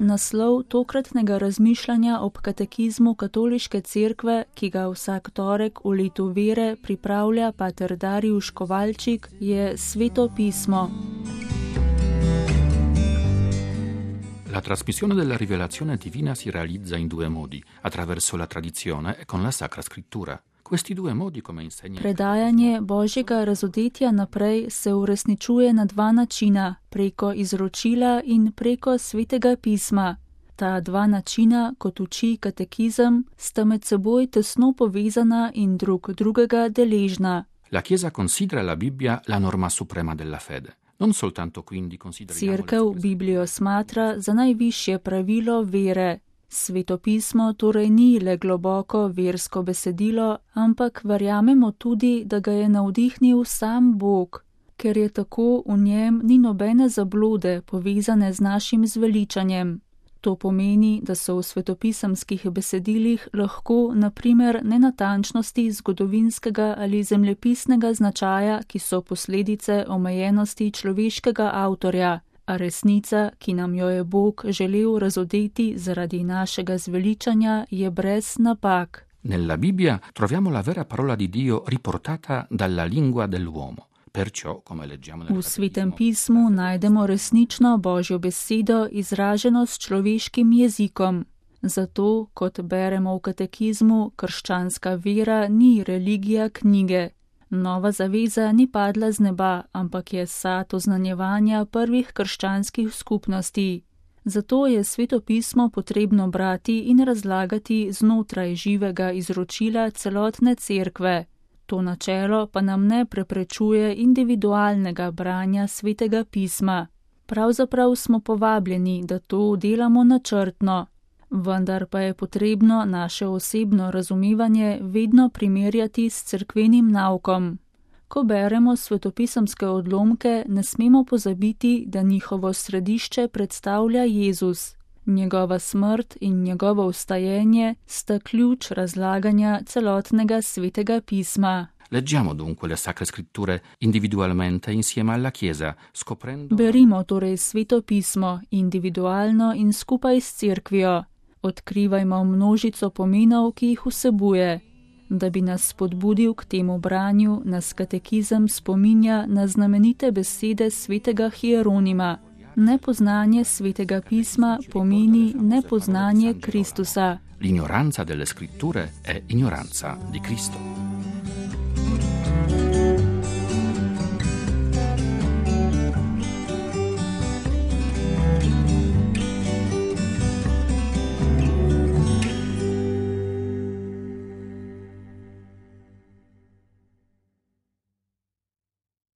naslov tokratnega razmišljanja ob katekizmu Katoliške cerkve, ki ga vsak torek v letu vere pripravlja pater Dariusz Kovalčik, je Sveto pismo. La trasmissione della rivelazione divina si realizza in due modi, attraverso la tradizione e con la Sacra Scrittura. Questi due modi, come insegna... Predajanje Božjega razodetja naprej se uresničuje na dva načina, preko izročila in preko Svetega pisma. Ta dva načina, kot uči katekizem, sta med seboj tesno povezana in drug drugega deležna. La Chiesa considera la Bibbia la norma suprema della fede. Non soltanto quindi consideriamo... Cerkev Biblijo smatra za najvišje pravilo vere. Sveto pismo torej ni le globoko versko besedilo, ampak verjamemo tudi, da ga je navdihnil sam Bog. Ker je tako, v njem ni nobene zablode povezane z našim zveličanjem. To pomeni, da so v svetopisemskih besedilih lahko, na primer, nenatančnosti zgodovinskega ali zemljepisnega značaja, ki so posledice omejenosti človeškega avtorja, a resnica, ki nam jo je Bog želel razodeti zaradi našega zveličanja, je brez napak. Nella Bibbia troviamo la vera parola di Dio riportata dalla lingua dell'uomo. Perciò, come leggiamo nel V Svetem pismu najdemo resnično Božjo besedo izraženo s človeškim jezikom. Zato, kot beremo v katekizmu, krščanska vera ni religija knjige. Nova zaveza ni padla z neba, ampak je sad oznanjevanja prvih krščanskih skupnosti. Zato je Sveto pismo potrebno brati in razlagati znotraj živega izročila celotne cerkve. To načelo pa nam ne preprečuje individualnega branja Svetega pisma. Pravzaprav smo povabljeni, da to delamo načrtno. Vendar pa je potrebno naše osebno razumevanje vedno primerjati s cerkvenim naukom. Ko beremo svetopisemske odlomke, ne smemo pozabiti, da njihovo središče predstavlja Jezus. Njegova smrt in njegovo vstajenje sta ključ razlaganja celotnega Svetega pisma. Leggiamo dunque le Sacre Scritture individualmente insieme alla Chiesa, scoprendo... Berimo torej Sveto pismo individualno in skupaj s cerkvijo. Odkrivajmo množico pomenov, ki jih vsebuje. Da bi nas spodbudil k temu branju, nas katekizem spominja na znamenite besede svetega Hieronima. Nepoznanje Svetega pisma pomeni nepoznanje Kristusa. L'ignoranza delle scritture è ignoranza di Cristo.